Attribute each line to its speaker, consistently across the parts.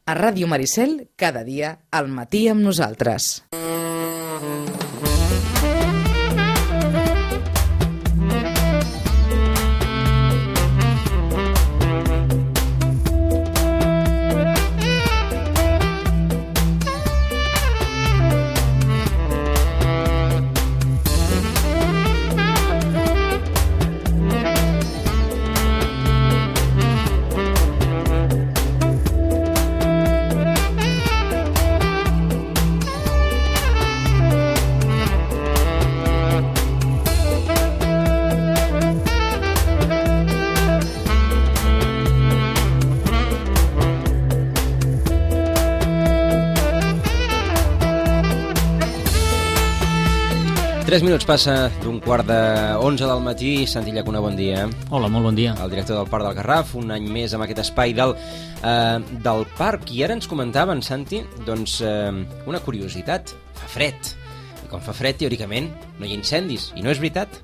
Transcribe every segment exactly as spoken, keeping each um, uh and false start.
Speaker 1: A Ràdio Maricel, cada dia, al matí amb nosaltres.
Speaker 2: Tres minuts passa d'un quart d'onze del matí. Santi Llacuna, bon dia.
Speaker 3: Hola, molt bon dia.
Speaker 2: El director del Parc del Garraf, un any més amb aquest espai del, eh, del parc. I ara ens comentaven, Santi, doncs, eh, una curiositat. Fa fred. I quan fa fred, teòricament, no hi ha incendis. I no és veritat.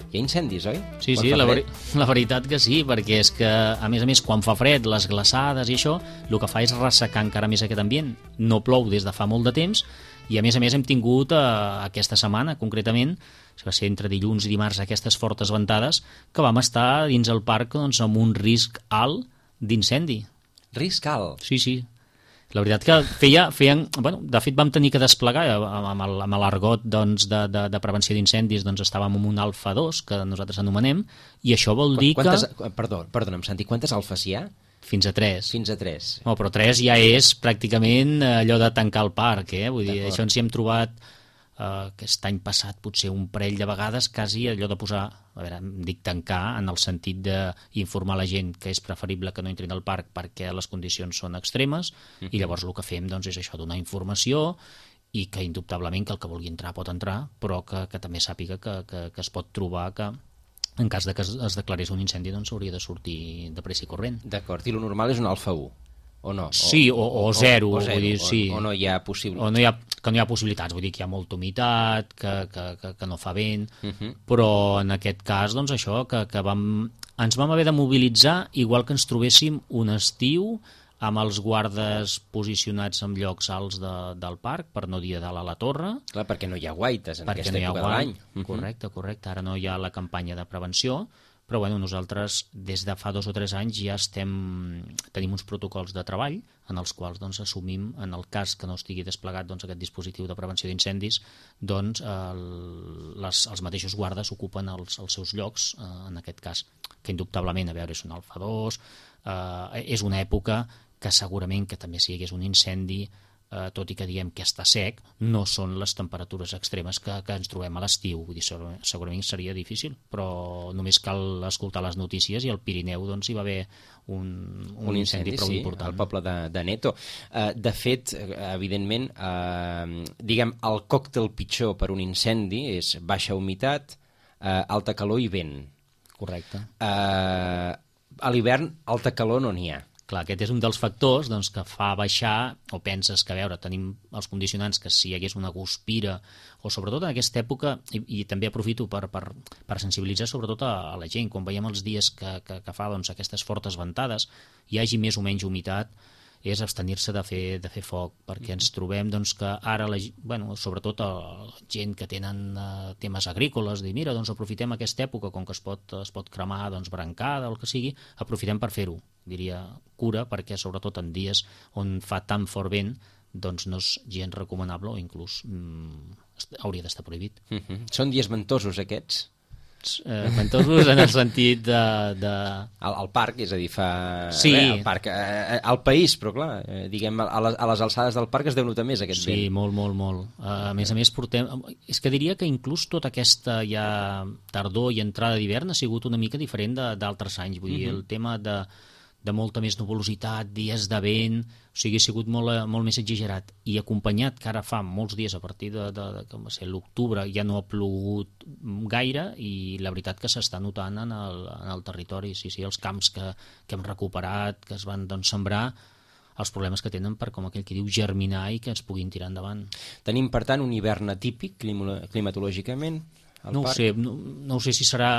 Speaker 2: Hi ha incendis, oi?
Speaker 3: Sí, sí, la, veri la veritat que sí, perquè és que, a més a més, quan fa fred, les glaçades i això, el que fa és ressecar encara més aquest ambient. No plou des de fa molt de temps, i a més a més hem tingut eh, aquesta setmana, concretament, va ser entre dilluns i dimarts, aquestes fortes ventades, que vam estar dins el parc doncs, amb un risc alt d'incendi.
Speaker 2: Risc alt?
Speaker 3: Sí, sí. La veritat que feia, feien... Bueno, de fet, vam tenir que desplegar amb l'argot doncs, de, de, de prevenció d'incendis, doncs estàvem amb un alfa dos, que nosaltres anomenem, i això vol dir
Speaker 2: quantes,
Speaker 3: que...
Speaker 2: Perdó, perdona'm, Santi, quantes alfes hi ha?
Speaker 3: Fins a tres.
Speaker 2: Fins a tres.
Speaker 3: No, però tres ja és pràcticament allò de tancar el parc, eh? Vull dir, això ens hi hem trobat eh, aquest any passat potser un parell de vegades, quasi allò de posar, a veure, em dic tancar, en el sentit d'informar la gent que és preferible que no entrin al parc perquè les condicions són extremes, uh-huh. I llavors el que fem doncs, és això, donar informació i que indubtablement que el que vulgui entrar pot entrar, però que, que també sàpiga que, que, que es pot trobar que en cas de que es, es declarés un incendi doncs hauria de sortir de pressa i corrent.
Speaker 2: D'acord, i el normal és un alfa u, o no? O,
Speaker 3: sí, o, o, o zero,
Speaker 2: o, o, zero
Speaker 3: vull dir,
Speaker 2: o,
Speaker 3: sí.
Speaker 2: O no hi ha possibilitats.
Speaker 3: O no hi ha, que no hi ha possibilitats, vull dir que hi ha molta humitat, que, que, que, que no fa vent, uh-huh. Però en aquest cas, doncs això, que, que vam, ens vam haver de mobilitzar igual que ens trobéssim un estiu amb els guardes posicionats en llocs alts de, del parc, per no dir dalt a la torre.
Speaker 2: Clar, perquè no hi ha guaites en aquesta
Speaker 3: no
Speaker 2: època de l'any.
Speaker 3: Uh-huh. Correcte, correcte. Ara no hi ha la campanya de prevenció, però bueno, nosaltres des de fa dos o tres anys ja estem, tenim uns protocols de treball en els quals doncs, assumim, en el cas que no estigui desplegat doncs, aquest dispositiu de prevenció d'incendis, doncs el, les, els mateixos guardes ocupen els, els seus llocs, eh, en aquest cas, que indubtablement, a veure, és un alfa dos, eh, és una època que segurament que també si hi hagués un incendi, eh, tot i que diem que està sec, no són les temperatures extremes que, que ens trobem a l'estiu. Vull dir, segurament seria difícil, però només cal escoltar les notícies i al Pirineu doncs, hi va haver un, un, un incendi, incendi prou
Speaker 2: sí,
Speaker 3: important.
Speaker 2: Al poble de, de Neto. Uh, de fet, evidentment, uh, diguem, el còctel pitjor per un incendi és baixa humitat, uh, alta calor i vent.
Speaker 3: Correcte.
Speaker 2: Uh, a l'hivern, alta calor no n'hi ha.
Speaker 3: Clar, aquest és un dels factors doncs, que fa baixar, o penses que, a veure, tenim els condicionants que si hi hagués una guspira, o sobretot en aquesta època, i, i també aprofito per, per, per sensibilitzar sobretot a, a la gent, quan veiem els dies que, que, que fa doncs, aquestes fortes ventades, hi hagi més o menys humitat, és abstenir-se de fer, de fer foc, perquè ens trobem doncs, que ara, la, bueno, sobretot la gent que tenen uh, temes agrícoles, dir, mira, doncs aprofitem aquesta època, com que es pot, es pot cremar doncs, brancada o el que sigui, aprofitem per fer-ho, diria cura, perquè sobretot en dies on fa tan fort vent, doncs no és gens recomanable o inclús mm, hauria d'estar prohibit.
Speaker 2: Uh-huh. Són dies ventosos aquests?
Speaker 3: Eh, ventosos en el sentit de... de...
Speaker 2: Al, al parc, és a dir, fa...
Speaker 3: Sí.
Speaker 2: Bé, al parc, eh, al país, però clar, eh, diguem, a les, a les alçades del parc es deu notar més aquest
Speaker 3: sí,
Speaker 2: vent.
Speaker 3: Sí, molt, molt, molt. Uh, a més a més portem... És que diria que inclús tota aquesta ja tardor i entrada d'hivern ha sigut una mica diferent d'altres anys. Vull dir, uh-huh. El tema de, de molta més nuvolositat, dies de vent... O sigui, ha sigut molt, molt més exagerat. I acompanyat, que ara fa molts dies, a partir de, de, de com va ser l'octubre, ja no ha plogut gaire i la veritat que s'està notant en el, en el territori. Sí, sí, els camps que, que hem recuperat, que es van doncs, sembrar, els problemes que tenen per, com aquell que diu, germinar i que ens puguin tirar endavant.
Speaker 2: Tenim, per tant, un hivern atípic climatològicament, al
Speaker 3: no
Speaker 2: parc?
Speaker 3: Ho sé, no, no ho sé si serà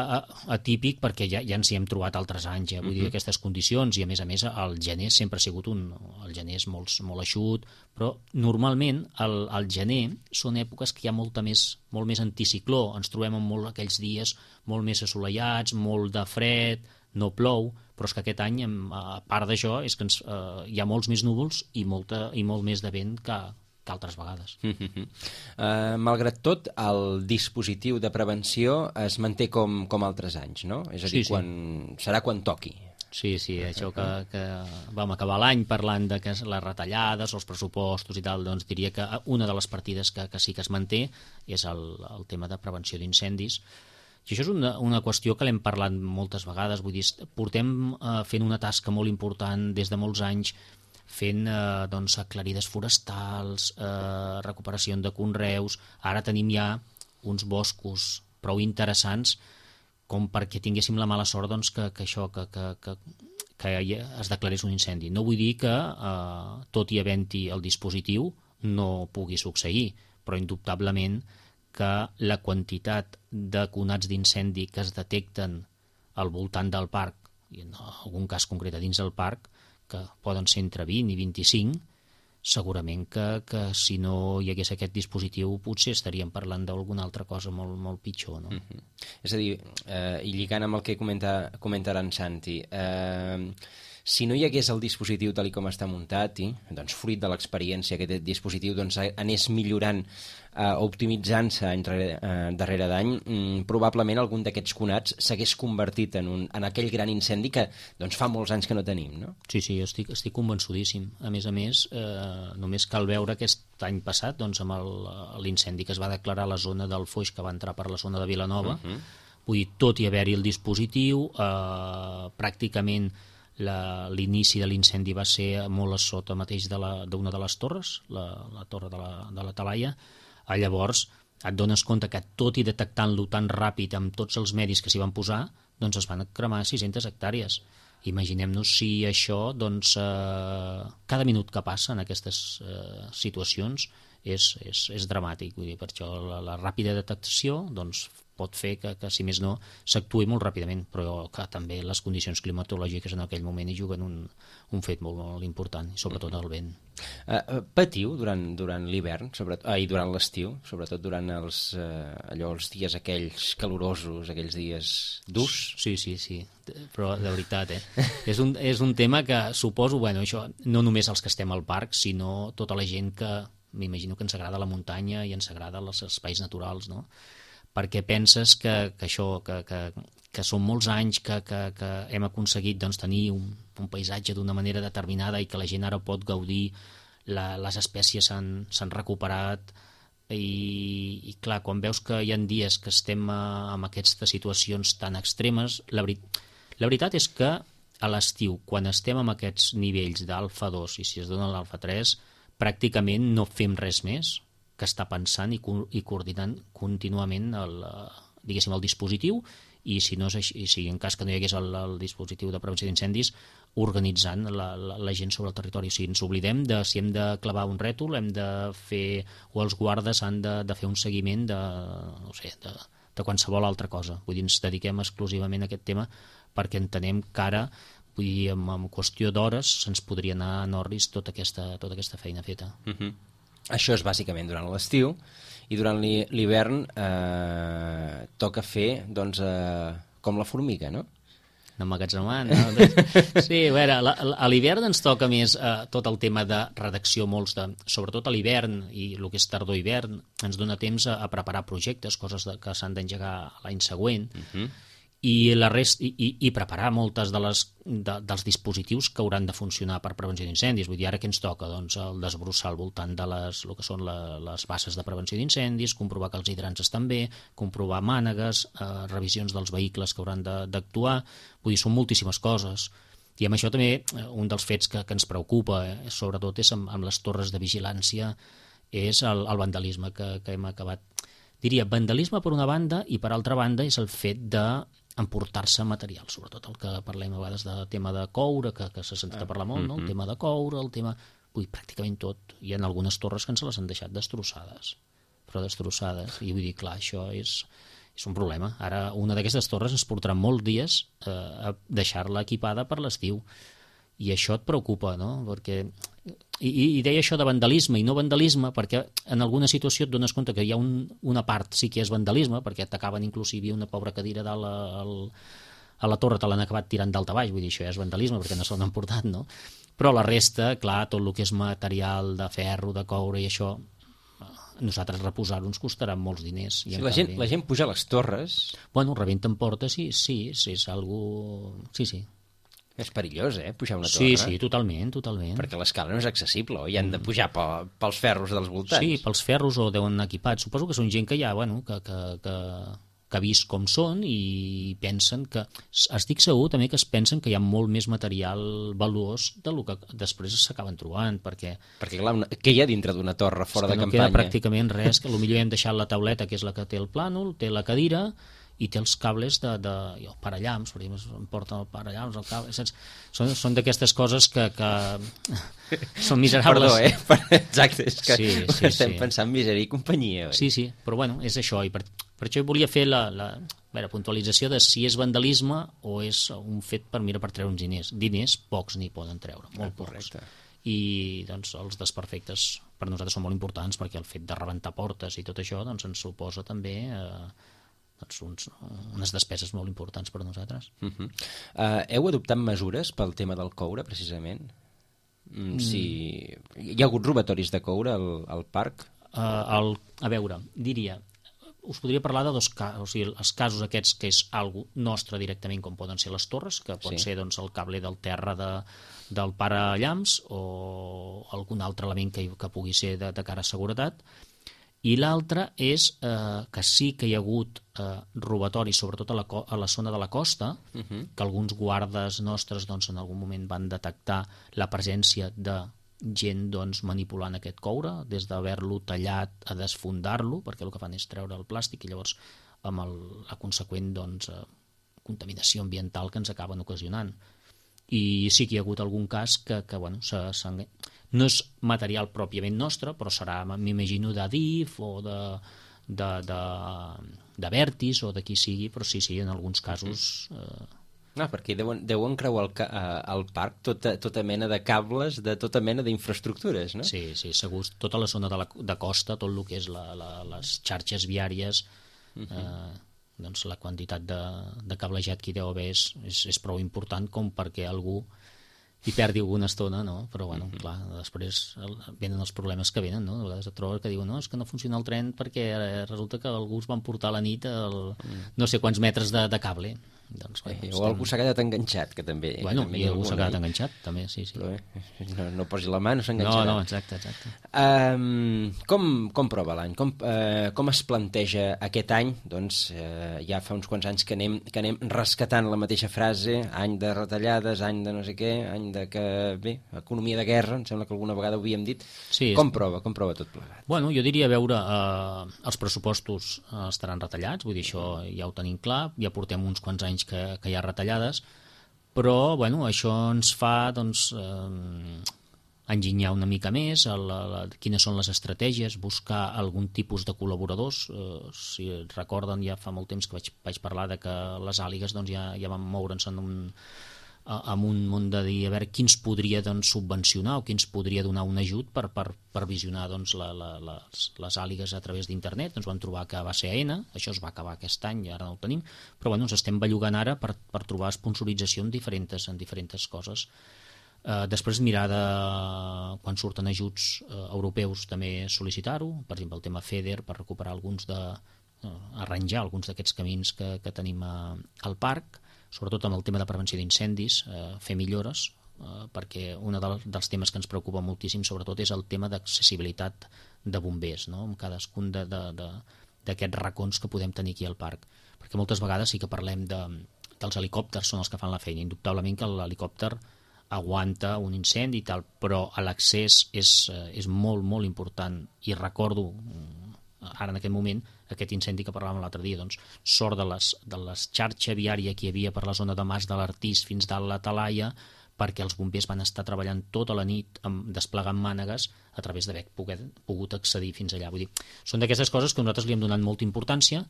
Speaker 3: atípic, perquè ja, ja ens hi hem trobat altres anys, eh? Vull uh-huh. dir, aquestes condicions, i a més a més el gener sempre ha sigut un... El gener és molt, molt eixut, però normalment el, el gener són èpoques que hi ha molta més, molt més anticicló, ens trobem amb molt aquells dies molt més assolellats, molt de fred, no plou, però és que aquest any, a part d'això, és que ens, eh, hi ha molts més núvols i, molta, i molt més de vent que, que altres vegades.
Speaker 2: Uh, malgrat tot, el dispositiu de prevenció es manté com, com altres anys, no? És a dir,
Speaker 3: sí, sí.
Speaker 2: quan, serà quan toqui.
Speaker 3: Sí, sí, això que, que vam acabar l'any parlant de que les retallades, els pressupostos i tal, doncs diria que una de les partides que, que sí que es manté és el, el tema de prevenció d'incendis. I això és una, una qüestió que l'hem parlat moltes vegades, vull dir, portem eh, fent una tasca molt important des de molts anys, fent eh, doncs, aclarides forestals, eh, recuperació de conreus, ara tenim ja uns boscos prou interessants com perquè tinguéssim la mala sort doncs, que, que això, que, que, que, que es declarés un incendi. No vull dir que, eh, tot i havent-hi el dispositiu, no pugui succeir, però indubtablement que la quantitat de conats d'incendi que es detecten al voltant del parc, i en algun cas concret a dins del parc, que poden ser entre vint i vint-i-cinc, segurament que, que si no hi hagués aquest dispositiu potser estaríem parlant d'alguna altra cosa molt, molt pitjor, no?
Speaker 2: Mm-hmm. És a dir, eh, i lligant amb el que comenta, comentarà en Santi, eh, si no hi hagués el dispositiu tal com està muntat, i, doncs, fruit de l'experiència que aquest dispositiu doncs, anés millorant, eh, optimitzant-se eh, darrere d'any, mm, probablement algun d'aquests conats s'hagués convertit en, un, en aquell gran incendi que doncs, fa molts anys que no tenim, no?
Speaker 3: Sí, sí, estic, estic convençudíssim. A més a més, eh, només cal veure aquest any passat doncs, amb l'incendi que es va declarar a la zona del Foix, que va entrar per la zona de Vilanova, uh-huh. Vull dir, tot i haver-hi el dispositiu, eh, pràcticament l'inici de l'incendi va ser molt a sota mateix d'una de, de les torres, la, la torre de la, de la Talaia. Llavors et dones compte que tot i detectant-lo tan ràpid amb tots els medis que s'hi van posar, doncs es van cremar sis-centes hectàrees. Imaginem-nos si això, doncs, eh, cada minut que passa en aquestes eh, situacions és, és, és dramàtic. Vull dir, per això la, la ràpida detecció doncs, pot fer que, que, si més no, s'actuï molt ràpidament, però que també les condicions climatològiques en aquell moment hi juguen un, un fet molt, molt important, i sobretot el vent.
Speaker 2: Uh, patiu durant, durant l'hivern, ah, i durant l'estiu, sobretot durant els, uh, allò, els dies aquells calorosos, aquells dies durs?
Speaker 3: Sí, sí, sí, però de veritat, eh? és, un, és un tema que suposo, bueno, això, no només els que estem al parc, sinó tota la gent que, m'imagino que ens agrada la muntanya i ens agrada els espais naturals, no? Perquè penses que, que això, que, que, que són molts anys que, que, que hem aconseguit doncs, tenir un, un paisatge d'una manera determinada i que la gent ara pot gaudir, la, les espècies s'han recuperat i, i clar, quan veus que hi ha dies que estem a, en aquestes situacions tan extremes, la, veri, la veritat és que a l'estiu, quan estem en aquests nivells d'alfa dos i si es dona l'alfa tres, pràcticament no fem res més que està pensant i, co i coordinant contínuament el, diguéssim, el dispositiu i si, no és així, si en cas que no hi hagués el, el dispositiu de prevenció d'incendis, organitzant la, la, la gent sobre el territori. O sigui, ens oblidem de si hem de clavar un rètol, hem de fer, o els guardes han de, de fer un seguiment de, no sé, de, de qualsevol altra cosa. Vull dir, ens dediquem exclusivament a aquest tema perquè entenem que ara, vull dir, en, en qüestió d'hores se'ns podria anar a Norris tota aquesta, tota aquesta feina feta.
Speaker 2: Uh-huh. Això és bàsicament durant l'estiu, i durant l'hivern eh, toca fer doncs, eh, com la formiga, no?
Speaker 3: Emmagatzemant, no? Sí, a veure, a l'hivern ens toca més eh, tot el tema de redacció, molts de, sobretot a l'hivern i el que és tardor-hivern, ens dona temps a, a preparar projectes, coses de, que s'han d'engegar l'any següent, uh-huh. i, la rest, i, i, i preparar moltes de les, de, dels dispositius que hauran de funcionar per prevenció d'incendis. Vull dir, ara què ens toca? Doncs el desbrossar al voltant de les, el que són la, les bases de prevenció d'incendis, comprovar que els hidrants estan bé, comprovar mànegues, eh, revisions dels vehicles que hauran d'actuar. Vull dir, són moltíssimes coses. I amb això també un dels fets que, que ens preocupa, eh, sobretot, és amb, amb les torres de vigilància, és el, el vandalisme que, que hem acabat. Diria, vandalisme per una banda, i per altra banda és el fet de emportar-se material, sobretot el que parlem a vegades de tema de coure, que, que s'ha sentit a parlar molt, no? El tema de coure, el tema... Vull dir, pràcticament tot. Hi ha algunes torres que ens les han deixat destrossades, però destrossades. I vull dir, clar, això és, és un problema. Ara una d'aquestes torres ens portarà molts dies eh, a deixar-la equipada per l'estiu. I això et preocupa, no? Perquè... I, i deia això de vandalisme i no vandalisme perquè en alguna situació et dones compte que hi ha un, una part sí que és vandalisme, perquè t'acaben inclusive una pobra cadira dalt al, a la torre te l'han acabat tirant dalt a baix, vull dir, això ja és vandalisme perquè no se l'han emportat, no? Però la resta, clar, tot el que és material de ferro, de coure i això, nosaltres reposar-ho ens costarà molts diners. I
Speaker 2: sí, la, gent,
Speaker 3: canvi...
Speaker 2: la gent puja a les torres...
Speaker 3: Bueno, rebenten portes, sí, sí, sí, és algo... Sí, sí.
Speaker 2: És perillós, eh, pujar una torre.
Speaker 3: Sí, sí, totalment, totalment.
Speaker 2: Perquè l'escala no és accessible, oi? Han de pujar pel, pels ferros dels voltants.
Speaker 3: Sí, pels ferros o deuen equipats. Suposo que són gent que ja, bueno, que, que, que, que ha vist com són i pensen que... Estic segur també que es pensen que hi ha molt més material valuós del que després s'acaben trobant, perquè...
Speaker 2: Perquè, clar, una... què hi ha dintre d'una torre fora de
Speaker 3: no
Speaker 2: campanya?
Speaker 3: No queda pràcticament res, que potser hem deixat la tauleta, que és la que té el plànol, té la cadira... i té els cables de, de i el parallams, per exemple, em porten el parallams, el cable, saps? Són, són d'aquestes coses que, que són miserables.
Speaker 2: Perdó, eh? Exacte, és que
Speaker 3: sí, sí,
Speaker 2: estem
Speaker 3: sí.
Speaker 2: pensant misèria i companyia. Oi?
Speaker 3: Sí, sí, però bueno, és això, i per, per això volia fer la, la, la puntualització de si és vandalisme o és un fet per mirar per treure uns diners. Diners, pocs n'hi poden treure, molt
Speaker 2: ah,
Speaker 3: pocs. I doncs, els desperfectes per nosaltres són molt importants perquè el fet de rebentar portes i tot això doncs, ens suposa també... Eh, doncs uns, unes despeses molt importants per a nosaltres.
Speaker 2: Uh -huh. uh, heu adoptat mesures pel tema del coure, precisament? Mm, si... Hi ha hagut robatoris de coure al, al parc?
Speaker 3: Uh, el, a veure, diria... Us podria parlar de dos casos, o sigui, els casos aquests que és algo nostre directament, com poden ser les torres, que pot sí. ser doncs, el cable del terra de, del parallams o algun altre element que, que pugui ser de, de cara a seguretat. I l'altre és eh, que sí que hi ha hagut eh, robatoris, sobretot a la, a la zona de la costa, uh -huh. que alguns guardes nostres doncs, en algun moment van detectar la presència de gent doncs, manipulant aquest coure, des d'haver-lo tallat a desfondar-lo, perquè el que fan és treure el plàstic i llavors amb el, la conseqüent doncs, eh, contaminació ambiental que ens acaben ocasionant. I sí que hi ha hagut algun cas que, que bueno, s'ha... no és material pròpiament nostre, però serà, m'imagino, d'Adif o de, de, de, de Vertis o de qui sigui, però sí, sí, en alguns casos... Eh...
Speaker 2: No, perquè deuen, deuen creuar al, al parc tota, tota mena de cables, de tota mena d'infraestructures, no?
Speaker 3: Sí, sí, segur. Tota la zona de, la, de costa, tot el que és la, la, les xarxes viàries, uh -huh. eh, doncs la quantitat de, de cablejat que hi deu haver és, és, és prou important com perquè algú hi perdi alguna estona, no? Però, bueno, uh-huh. clar, després el, venen els problemes que venen, no? A vegades et trobes que diuen, no, és que no funciona el tren perquè resulta que algú es van portar a la nit el, uh-huh. no sé quants metres de, de cable. Doncs, bueno,
Speaker 2: eh, o
Speaker 3: estem...
Speaker 2: algú s'ha quedat enganxat, que també...
Speaker 3: Bueno,
Speaker 2: també
Speaker 3: i algú s'ha quedat
Speaker 2: eh?
Speaker 3: enganxat, també, sí, sí.
Speaker 2: Però, eh, no, no posi la mà, no s'enganxarà.
Speaker 3: No, no, exacte, exacte.
Speaker 2: Um, com, com prova l'any? Com, uh, com es planteja aquest any? Doncs uh, ja fa uns quants anys que anem, que anem rescatant la mateixa frase, any de retallades, any de no sé què, any de que... Bé, economia de guerra, em sembla que alguna vegada ho havíem dit.
Speaker 3: Sí,
Speaker 2: com prova? Com prova tot plegat?
Speaker 3: Bueno, jo diria, a veure, eh, els pressupostos eh, estaran retallats, vull dir, això ja ho tenim clar, ja portem uns quants anys que, que hi ha retallades, però, bueno, això ens fa, doncs, eh, enginyar una mica més a la, la, quines són les estratègies, buscar algun tipus de col·laboradors. Eh, si recorden, ja fa molt temps que vaig, vaig parlar de que les àligues doncs, ja, ja van moure's en un... amb un munt de dir a veure qui ens podria doncs, subvencionar o qui ens podria donar un ajut per, per, per visionar doncs, la, la, les, les àligues a través d'internet. Ens vam trobar que va ser A N, això es va acabar aquest any i ara no ho tenim, però bueno, ens estem bellugant ara per, per trobar sponsorització en diferents, en diferents coses. Eh, després mirar de quan surten ajuts eh, europeus també sol·licitar-ho, per exemple el tema FEDER per recuperar alguns de eh, arranjar alguns d'aquests camins que, que tenim a, al parc, sobretot amb el tema de prevenció d'incendis, eh, fer millores, eh, perquè un del, dels temes que ens preocupa moltíssim sobretot és el tema d'accessibilitat de bombers, no? Amb cadascun d'aquests racons que podem tenir aquí al parc, perquè moltes vegades sí que parlem de, dels helicòpters, són els que fan la feina, indubtablement que l'helicòpter aguanta un incendi i tal, però l'accés és, és molt, molt important, i recordo ara en aquest moment aquest incendi que parlàvem l'altre dia, doncs sort de les, de les xarxa viària que hi havia per la zona de Mas de l'Artís fins dalt la Talaia, perquè els bombers van estar treballant tota la nit amb, desplegant mànegues a través d'haver pogut accedir fins allà. Vull dir, són d'aquestes coses que nosaltres li hem donat molta importància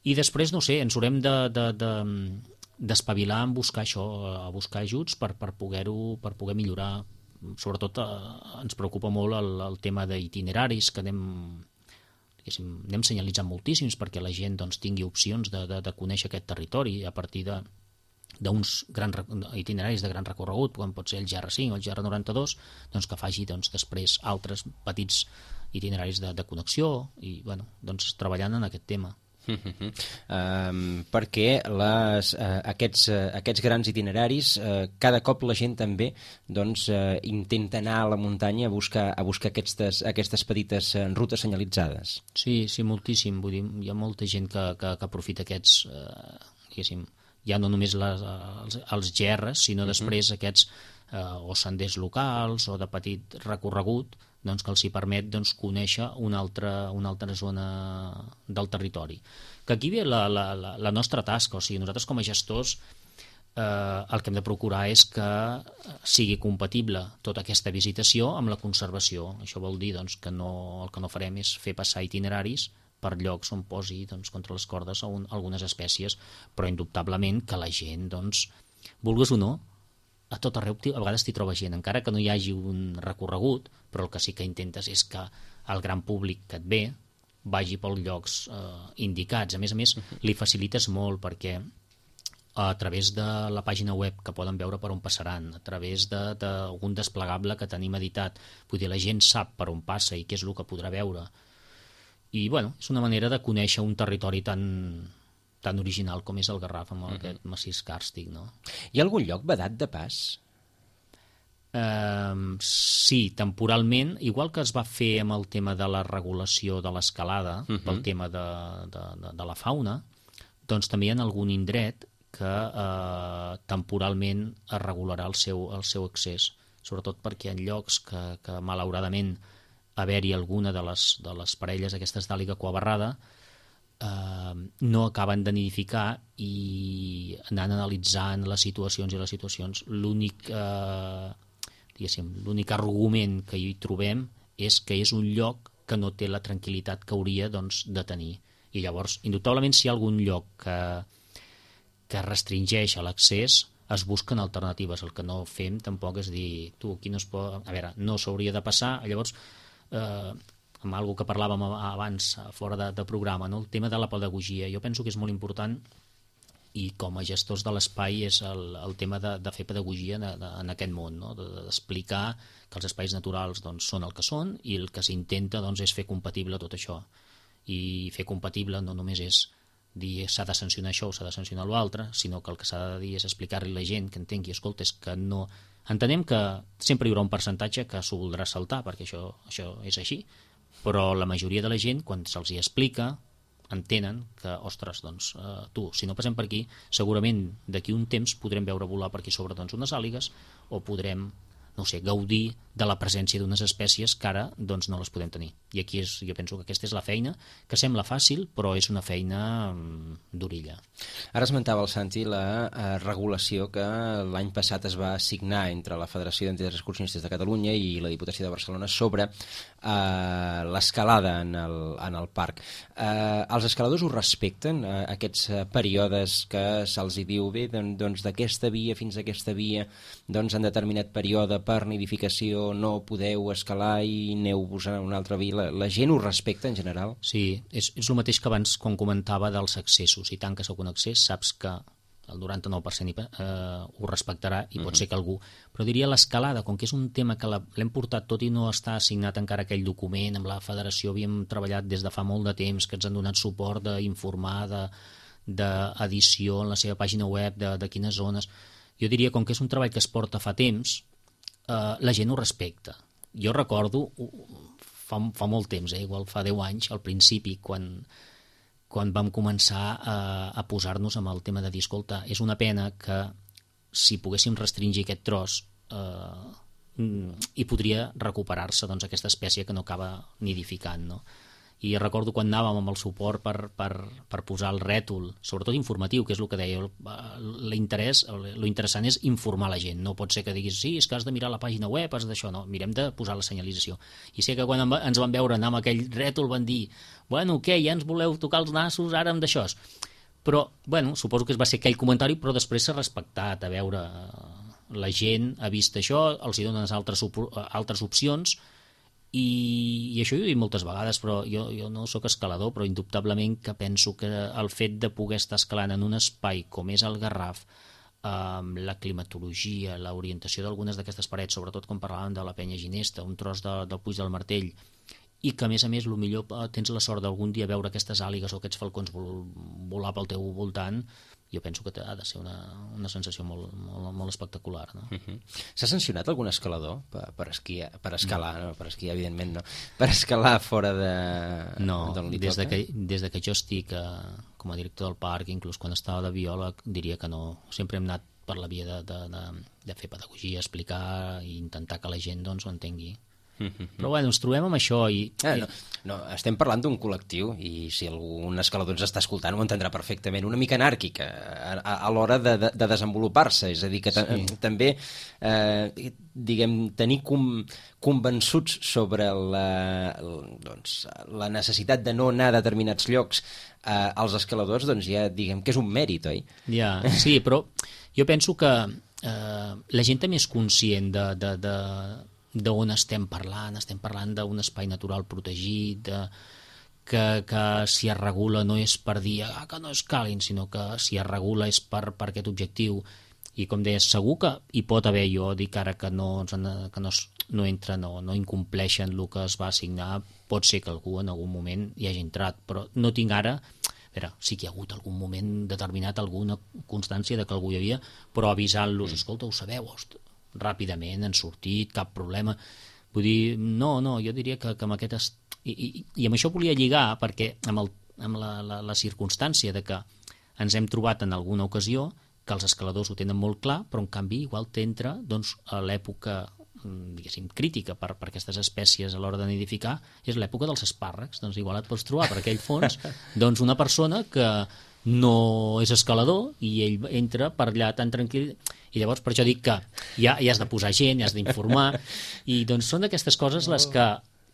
Speaker 3: I després, no sé, ens haurem de, de, de, d'espavilar en buscar això, a buscar ajuts per, per poder-ho, per poder millorar. Sobretot eh, ens preocupa molt el, el tema d'itineraris, que anem, anem senyalitzant moltíssims perquè la gent doncs, tingui opcions de, de, de conèixer aquest territori a partir de d'uns grans itineraris de gran recorregut, com pot ser el G R cinc o el G R noranta-dos, doncs que faci doncs, després altres petits itineraris de, de connexió i bueno, doncs, treballant en aquest tema.
Speaker 2: Uh-huh. Um, perquè les, uh, aquests, uh, aquests grans itineraris uh, cada cop la gent també doncs, uh, intenta anar a la muntanya a buscar, a buscar aquestes, aquestes petites uh, rutes senyalitzades.
Speaker 3: Sí, sí, moltíssim. Vull dir, hi ha molta gent que, que, que aprofita aquests, uh, diguéssim, ja no només les, els, els G Rs, sinó uh-huh. després aquests eh, o senders locals o de petit recorregut doncs, que els hi permet doncs, conèixer una altra, una altra zona del territori. Que aquí ve la, la, la, la nostra tasca, o sigui, nosaltres com a gestors eh, el que hem de procurar és que sigui compatible tota aquesta visitació amb la conservació. Això vol dir doncs, que no, el que no farem és fer passar itineraris per llocs on posi doncs, contra les cordes un, algunes espècies, però indubtablement que la gent, doncs, vulguis o no, a tot arreu a vegades t'hi troba gent, encara que no hi hagi un recorregut, però el que sí que intentes és que el gran públic que et ve vagi pels llocs eh, indicats. A més a més, li facilites molt perquè a través de la pàgina web que poden veure per on passaran, a través d'algun de, desplegable que tenim editat, vull dir, la gent sap per on passa i què és el que podrà veure. I, bueno, és una manera de conèixer un territori tan, tan original com és el Garraf, amb uh-huh. aquest massís càrstic, no?
Speaker 2: Hi ha algun lloc vedat de pas?
Speaker 3: Uh, sí, temporalment, igual que es va fer amb el tema de la regulació de l'escalada, uh-huh. pel tema de, de, de, de la fauna, doncs també hi ha algun indret que uh, temporalment es regularà el seu, el seu accés, sobretot perquè en llocs que, que malauradament haver-hi alguna de les, de les parelles aquestes d'àliga coabarrada eh, no acaben de nidificar i anant analitzant les situacions i les situacions l'únic eh, diguéssim, l'únic argument que hi trobem és que és un lloc que no té la tranquil·litat que hauria doncs, de tenir. I llavors, indubtablement, si hi ha algun lloc que, que restringeix l'accés, es busquen alternatives. El que no fem tampoc és dir, tu, aquí no es pot... A veure, no s'hauria de passar, llavors Eh, amb algo que parlàvem abans fora de, de programa, no? El tema de la pedagogia. Jo penso que és molt important i com a gestors de l'espai és el, el tema de, de fer pedagogia en, en aquest món, no? D'explicar que els espais naturals doncs, són el que són i el que s'intenta doncs, és fer compatible tot això. I fer compatible no només és dir s'ha de sancionar això o s'ha de sancionar l'altre, sinó que el que s'ha de dir és explicar-li a la gent que entengui, escolta, és que no... Entenem que sempre hi haurà un percentatge que s'ho voldrà saltar, perquè això, això és així, però la majoria de la gent, quan se'ls hi explica, entenen que, ostres, doncs, eh, tu, si no passem per aquí, segurament d'aquí un temps podrem veure volar per aquí sobre doncs, unes àligues o podrem, no sé, gaudir de la presència d'unes espècies que ara doncs, no les podem tenir. I aquí és, jo penso que aquesta és la feina, que sembla fàcil, però és una feina mm, d'orilla.
Speaker 2: Ara esmentava el Santi la eh, regulació que l'any passat es va assignar entre la Federació d'Entitats Excursionistes de Catalunya i la Diputació de Barcelona sobre eh, l'escalada en, el, en el parc. Eh, els escaladors ho respecten, eh, aquests eh, períodes que se'ls hi diu bé, doncs d'aquesta via fins a aquesta via, doncs en determinat període per nidificació no podeu escalar i aneu-vos a una altra via. La, la gent ho respecta en general?
Speaker 3: Sí, és, és el mateix que abans quan comentava dels accessos. Si tanques algun accés saps que el noranta-nou per cent eh, ho respectarà i pot uh-huh. ser que algú... Però diria l'escalada, com que és un tema que l'hem portat tot i no està assignat encara aquell document, amb la federació havíem treballat des de fa molt de temps, que ens han donat suport d'informar, d'edició en la seva pàgina web, de, de quines zones... Jo diria, com que és un treball que es porta fa temps, Uh, la gent ho respecta. Jo recordo fa, fa molt temps, eh, igual fa deu anys al principi, quan, quan vam començar a, a posar-nos amb el tema de dir, escolta, és una pena que si poguéssim restringir aquest tros eh, i podria recuperar-se doncs, aquesta espècie que no acaba nidificant, no? i recordo quan anàvem amb el suport per, per, per posar el rètol, sobretot informatiu, que és el que deia, l'interès, lo interessant és informar la gent, no pot ser que diguis, sí, és que has de mirar la pàgina web, has d'això, no, mirem de posar la senyalització. I sé que quan ens van veure anar amb aquell rètol van dir, bueno, què, ja ens voleu tocar els nassos ara amb d'això? Però, bueno, suposo que es va ser aquell comentari, però després s'ha respectat, a veure, la gent ha vist això, els hi donen altres, altres opcions, I, i això ho he dit moltes vegades, però jo, jo no sóc escalador, però indubtablement que penso que el fet de poder estar escalant en un espai com és el Garraf, amb la climatologia, l'orientació d'algunes d'aquestes parets, sobretot quan parlàvem de la Penya Ginesta, un tros de, del Puig del Martell, i que a més a més millor tens la sort d'algun dia veure aquestes àligues o aquests falcons vol, volar pel teu voltant, jo penso que ha de ser una, una sensació molt, molt, molt espectacular. No?
Speaker 2: Uh-huh. S'ha sancionat algun escalador per, per, esquiar, per escalar, no. no, per esquiar evidentment no, per escalar fora de
Speaker 3: no,
Speaker 2: d'on li
Speaker 3: des
Speaker 2: toca?
Speaker 3: De que, des de que jo estic eh, com a director del parc, inclús quan estava de biòleg, diria que no, sempre hem anat per la via de, de, de, de fer pedagogia, explicar i intentar que la gent doncs, ho entengui. Uh-huh. Però bueno, ens trobem amb això i...
Speaker 2: Ah, no, no, estem parlant d'un col·lectiu i si algun escalador ens està escoltant ho entendrà perfectament, una mica anàrquica a, a, a l'hora de, de, de desenvolupar-se, és a dir, que sí. també eh, diguem, tenir com, convençuts sobre la, doncs, la necessitat de no anar a determinats llocs eh, als escaladors, doncs ja diguem que és un mèrit, oi?
Speaker 3: Ja, sí, però jo penso que eh, la gent també és conscient de... de, de d'on estem parlant, estem parlant d'un espai natural protegit, de, que, que si es regula no és per dir ah, que no es calin, sinó que si es regula és per, per aquest objectiu. I com deies, segur que hi pot haver, jo dic ara que no, que no, no entra, no, no incompleixen el que es va assignar, pot ser que algú en algun moment hi hagi entrat, però no tinc ara... A veure, sí que hi ha hagut algun moment determinat, alguna constància de que algú hi havia, però avisant-los, escolta, ho sabeu, ostres, ràpidament han sortit, cap problema. Vull dir, no, no, jo diria que, que amb aquest... Est... I, i, I amb això volia lligar, perquè amb, el, amb la, la, la circumstància de que ens hem trobat en alguna ocasió que els escaladors ho tenen molt clar, però en canvi igual t'entra doncs, a l'època diguéssim, crítica per, per aquestes espècies a l'hora de nidificar, és l'època dels espàrrecs. Doncs igual et pots trobar per aquell fons doncs una persona que no és escalador i ell entra per allà tan tranquil, i llavors per això dic que ja, ja has de posar gent, ja has d'informar, i doncs són d'aquestes coses les que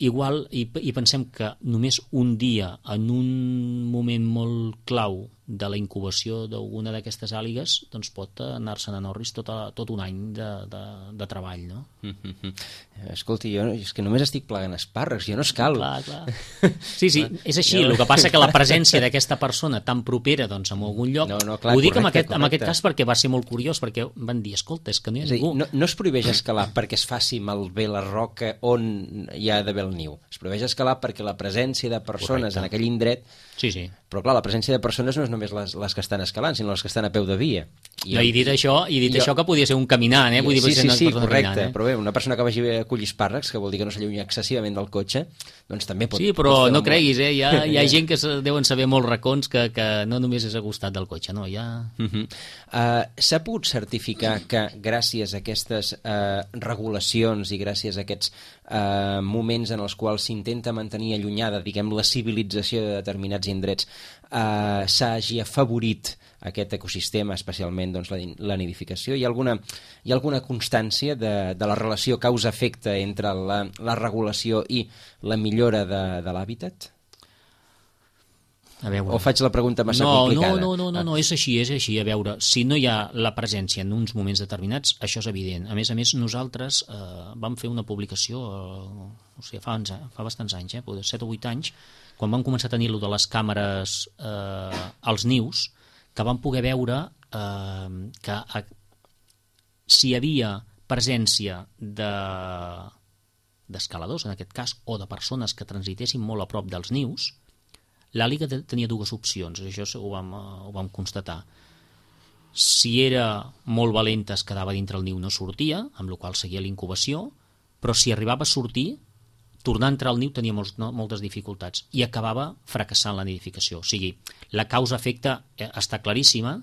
Speaker 3: igual, i, i pensem que només un dia, en un moment molt clau de la incubació d'alguna d'aquestes àligues, doncs pot anar-se'n a Norris tot, a, tot un any de, de, de treball, no?
Speaker 2: Mm-hmm. Escolti, jo és que només estic plegant espàrrecs, jo no escalo.
Speaker 3: Clar, clar. Sí, sí, és així, el que passa que la presència d'aquesta persona tan propera doncs, en algun lloc, no, no, clar, ho dic correcte, en, aquest, en aquest cas perquè va ser molt curiós, perquè van dir, escolta, és que no hi ha ningú.
Speaker 2: No, no es prohibeix escalar perquè es faci malbé la roca on hi ha d'haver el niu, es prohibeix escalar perquè la presència de persones correcte. En aquell indret,
Speaker 3: sí, sí.
Speaker 2: Però clar, la presència de persones no és només les, les que estan escalant, sinó les que estan a peu de via.
Speaker 3: I, no, i dit això, i dit jo, això que podia ser un caminant, eh? Vull dir,
Speaker 2: sí, sí, sí, correcte,
Speaker 3: caminant, eh?
Speaker 2: Però bé, una persona que vagi a collir espàrrecs, que vol dir que no s'allunya excessivament del cotxe, doncs també pot...
Speaker 3: Sí, però
Speaker 2: pot
Speaker 3: no creguis, eh? Hi ha, hi ha gent que deuen saber molts racons que, que no només és a costat del cotxe, no? Ja...
Speaker 2: Uh-huh. uh, S'ha pogut certificar que gràcies a aquestes uh, regulacions i gràcies a aquests uh, moments en els quals s'intenta mantenir allunyada, diguem, la civilització de determinats indrets, uh, s'hagi afavorit aquest ecosistema, especialment doncs, la, la nidificació? Hi ha alguna, hi ha alguna constància de, de la relació causa-efecte entre la, la regulació i la millora de, de l'hàbitat?
Speaker 3: A veure...
Speaker 2: O faig la pregunta massa
Speaker 3: no,
Speaker 2: complicada?
Speaker 3: No, no, no, no, no, és així, és així. A veure, si no hi ha la presència en uns moments determinats, això és evident. A més a més, nosaltres eh, vam fer una publicació, eh, o sigui, fa, anys, fa bastants anys, eh, set o vuit anys, quan vam començar a tenir-lo de les càmeres eh, als nius, que vam poder veure eh, que a, si hi havia presència de d'escaladors, en aquest cas, o de persones que transitessin molt a prop dels nius, l'àliga tenia dues opcions, això ho vam, ho vam constatar. Si era molt valenta es quedava dintre el niu, no sortia, amb la qual cosa seguia l'incubació, però si arribava a sortir, tornar a entrar al niu tenia molts, no, moltes dificultats i acabava fracassant la nidificació. O sigui, la causa-efecte està claríssima,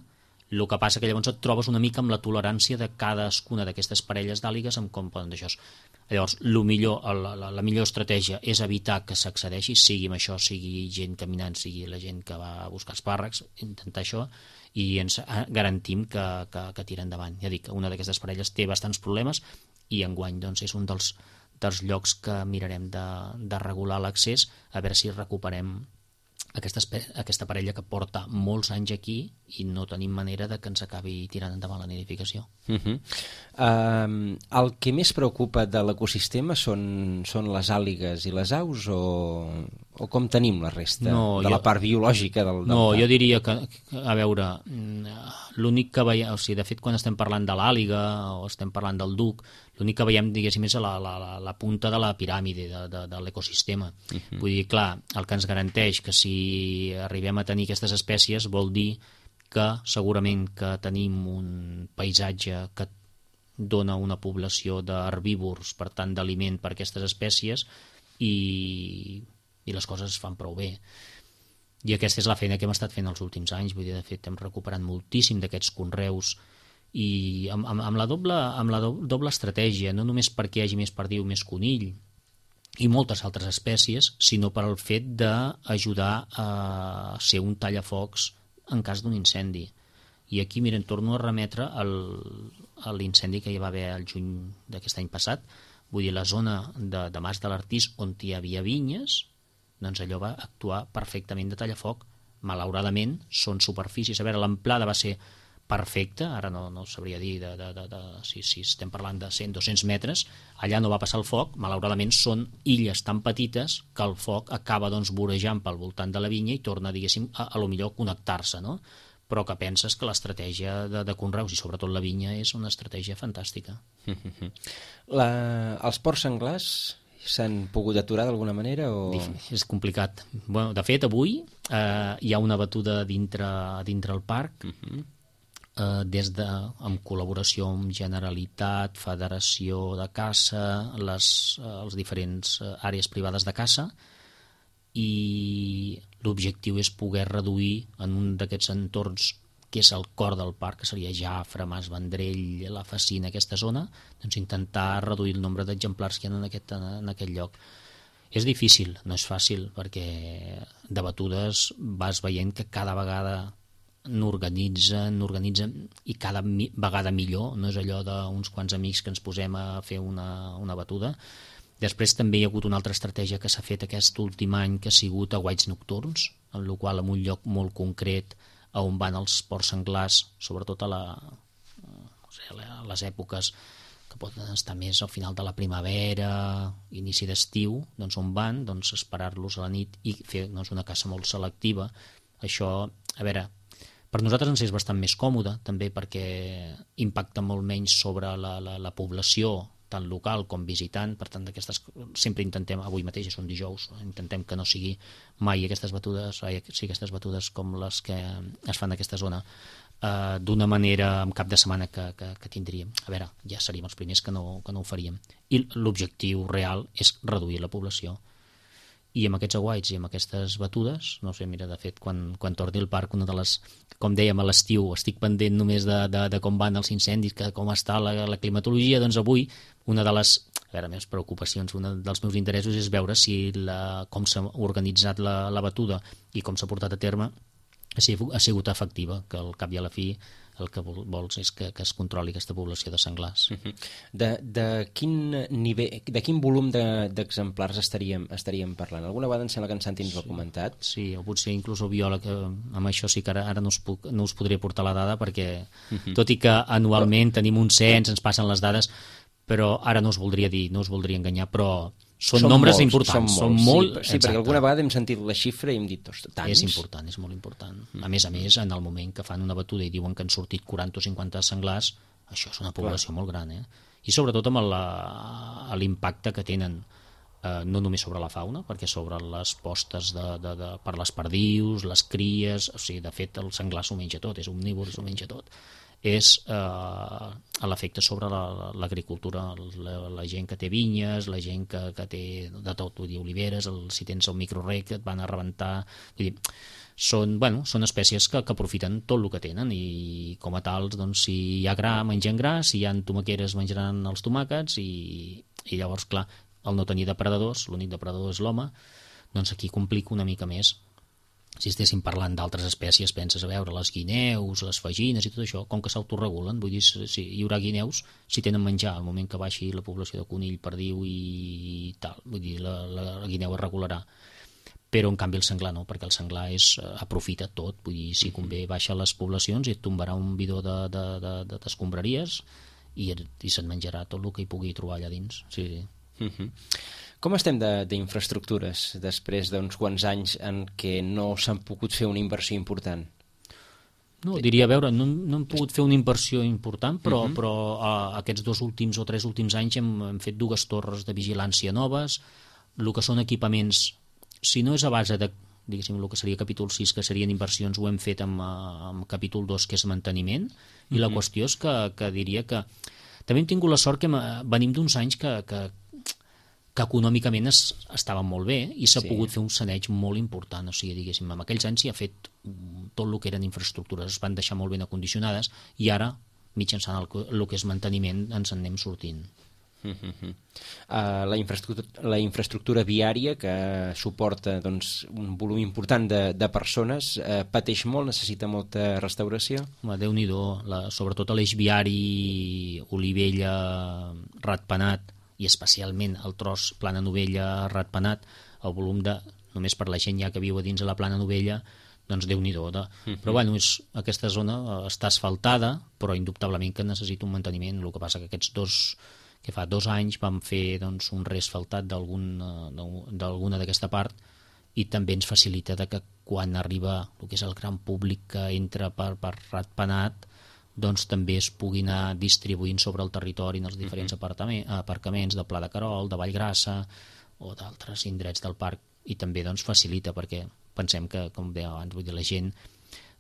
Speaker 3: El que passa que llavors et trobes una mica amb la tolerància de cadascuna d'aquestes parelles d'àligues amb com poden d'això. Llavors, lo millor, la, la, la millor estratègia és evitar que s'accedeixi, sigui amb això, sigui gent caminant, sigui la gent que va a buscar espàrrecs, intentar això, i ens garantim que, que, que tira endavant. Ja dic, una d'aquestes parelles té bastants problemes i enguany doncs, és un dels, dels llocs que mirarem de, de regular l'accés, a veure si recuperem aquesta, aquesta parella que porta molts anys aquí i no tenim manera de que ens acabi tirant endavant la nidificació.
Speaker 2: Uh -huh. uh, el que més preocupa de l'ecosistema són, són les àligues i les aus o, o com tenim la resta
Speaker 3: no,
Speaker 2: de
Speaker 3: jo,
Speaker 2: la part biològica del, del
Speaker 3: No,
Speaker 2: parc?
Speaker 3: jo diria que, a veure, l'únic que veiem, o sigui, de fet quan estem parlant de l'àliga o estem parlant del duc, l'únic que veiem, diguéssim, és la, la, la, la punta de la piràmide de, de, de l'ecosistema. Uh -huh. Vull dir, clar, el que ens garanteix que si arribem a tenir aquestes espècies vol dir que segurament que tenim un paisatge que dona una població d'herbívors, per tant d'aliment per aquestes espècies i, i les coses es fan prou bé. I aquesta és la feina que hem estat fent els últims anys, vull dir, de fet hem recuperat moltíssim d'aquests conreus i amb, amb, amb la, doble, amb la do, doble estratègia, no només perquè hi hagi més perdiu, més conill i moltes altres espècies, sinó per al fet d'ajudar a ser un tallafocs en cas d'un incendi. I aquí, miren, torno a remetre al, a l'incendi que hi va haver el juny d'aquest any passat. Vull dir, la zona de, de Mas de l'Artís on hi havia vinyes, doncs allò va actuar perfectament de tallafoc. Malauradament, són superfícies. A veure, l'amplada va ser perfecta, ara no, no sabria dir de, de, de, de, si, si estem parlant de cent a dos-cents metres, allà no va passar el foc, malauradament són illes tan petites que el foc acaba doncs vorejant pel voltant de la vinya i torna, diguéssim, a, a lo millor connectar-se, no? Però que penses que l'estratègia de, de conreus i sobretot la vinya és una estratègia fantàstica.
Speaker 2: La, els porcs senglars s'han pogut aturar d'alguna manera? O...
Speaker 3: És complicat. Bueno, de fet, avui eh, hi ha una batuda dintre, dintre el parc, uh-huh. eh, des de, en col·laboració amb Generalitat, Federació de Caça, les, eh, les diferents àrees privades de caça, i l'objectiu és poder reduir en un d'aquests entorns que és el cor del parc, que seria Jafre, Mas Vendrell, la Facina, aquesta zona, doncs intentar reduir el nombre d'exemplars que hi ha en aquest, en aquest lloc. És difícil, no és fàcil, perquè de batudes vas veient que cada vegada n'organitzen, n'organitzen i cada mi, vegada millor, no és allò d'uns quants amics que ens posem a fer una, una batuda. Després també hi ha hagut una altra estratègia que s'ha fet aquest últim any, que ha sigut aguaits nocturns, en el qual en un lloc molt concret on van els porcs senglars, sobretot a, la, a les èpoques que poden estar més al final de la primavera, inici d'estiu, doncs on van, doncs esperar-los a la nit i fer doncs, una caça molt selectiva. Això, a veure, per nosaltres ens és bastant més còmode, també perquè impacta molt menys sobre la, la, la població, tant local com visitant, per tant d'aquestes sempre intentem, avui mateix és un dijous, intentem que no sigui mai aquestes batudes, ai, sí, aquestes batudes com les que es fan en aquesta zona, eh, d'una manera en cap de setmana que, que, que tindríem. A veure, ja seríem els primers que no, que no ho faríem. I l'objectiu real és reduir la població. I amb aquests aguaits i amb aquestes batudes, no sé, mira, de fet, quan, quan torni al parc, una de les, com dèiem, a l'estiu, estic pendent només de, de, de com van els incendis, que com està la, la climatologia, doncs avui una de les, a veure, meves preocupacions, un dels meus interessos és veure si la, com s'ha organitzat la, la batuda i com s'ha portat a terme ha sigut, ha sigut efectiva, que al cap i a la fi el que vols és que, que es controli aquesta població de senglars.
Speaker 2: De, de quin nivell, de quin volum d'exemplars de, estaríem, estaríem parlant? Alguna vegada em sembla que en Santi ens ho ha comentat.
Speaker 3: Sí, o potser inclús el biòleg, amb això sí que ara, ara no, us puc, no us podria portar la dada perquè, uh-huh. tot i que anualment tenim un cens, ens passen les dades, però ara no us voldria dir, no us voldria enganyar, però són, són nombres molts, importants. Són molts, són molt,
Speaker 2: sí, sí, perquè alguna vegada hem sentit la xifra i hem dit, ostres, tants.
Speaker 3: És important, és molt important. A més a més, en el moment que fan una batuda i diuen que han sortit quaranta o cinquanta senglars, això és una població Clar. molt gran, eh? I sobretot amb l'impacte que tenen, eh, no només sobre la fauna, perquè sobre les postes de, de, de, per les perdius, les cries, o sigui, de fet el senglar s'ho menja tot, és omnívor, s'ho menja tot. És eh, l'efecte sobre l'agricultura, la, la, la gent que té vinyes, la gent que, que té de tot, vull dir, oliveres, el, si tens el microrec et van a rebentar, vull dir, són, bueno, són espècies que, que aprofiten tot el que tenen i com a tals, doncs, si hi ha gra, mengen gra, si hi ha tomaqueres menjaran els tomàquets i, i llavors, clar, el no tenir depredadors, l'únic depredador és l'home, doncs aquí complica una mica més. Si estéssim parlant d'altres espècies, penses a veure les guineus, les fagines i tot això, com que s'autoregulen, vull dir, si hi haurà guineus, si tenen menjar al moment que baixi la població de conill, perdiu i tal, vull dir, la, la, la guineu es regularà. Però en canvi el senglar no, perquè el senglar és, aprofita tot, vull dir, si convé baixa les poblacions i et tombarà un bidó de, de, de, de, d'escombraries i, i se'n menjarà tot el que hi pugui trobar allà dins. Sí, sí.
Speaker 2: Uh-huh. Com estem d'infraestructures després d'uns quants anys en què no s'han pogut fer una inversió important?
Speaker 3: No, diria, a veure, no, no hem pogut fer una inversió important, però,
Speaker 2: uh-huh.
Speaker 3: però a, aquests dos últims o tres últims anys hem, hem fet dues torres de vigilància noves, el que són equipaments, si no és a base de, diguéssim, el que seria capítol sis, que serien inversions, ho hem fet amb, amb capítol dos, que és manteniment, i uh-huh. la qüestió és que, que diria que també hem tingut la sort que venim d'uns anys que, que que econòmicament es, estaven molt bé i s'ha sí. pogut fer un saneig molt important, o sigui, diguéssim, en aquells anys s'hi ha fet tot el que eren infraestructures, es van deixar molt ben acondicionades i ara, mitjançant el, el que és manteniment, ens en anem sortint.
Speaker 2: Uh-huh. Uh, la, infraestructura, la infraestructura viària que suporta doncs, un volum important de, de persones uh, pateix molt, necessita molta restauració?
Speaker 3: Home, Déu-n'hi-do, la, sobretot a l'eix viari Olivella-Ratpenat i especialment el tros Plana Novella-Ratpenat, el volum de, només per la gent ja que viu a dins de la Plana Novella, doncs Déu-n'hi-do. De... Uh-huh. Però bueno, és, aquesta zona està asfaltada, però indubtablement que necessita un manteniment. El que passa que aquests dos, que fa dos anys vam fer doncs, un reasfaltat d'alguna d'aquesta part i també ens facilita de que quan arriba el que és el gran públic que entra per, per Ratpenat, doncs també es pugui anar distribuint sobre el territori en els diferents uh-huh. aparcaments de Pla de Carol, de Vallgrassa o d'altres indrets del parc, i també doncs facilita, perquè pensem que, com deia abans, vull dir, la gent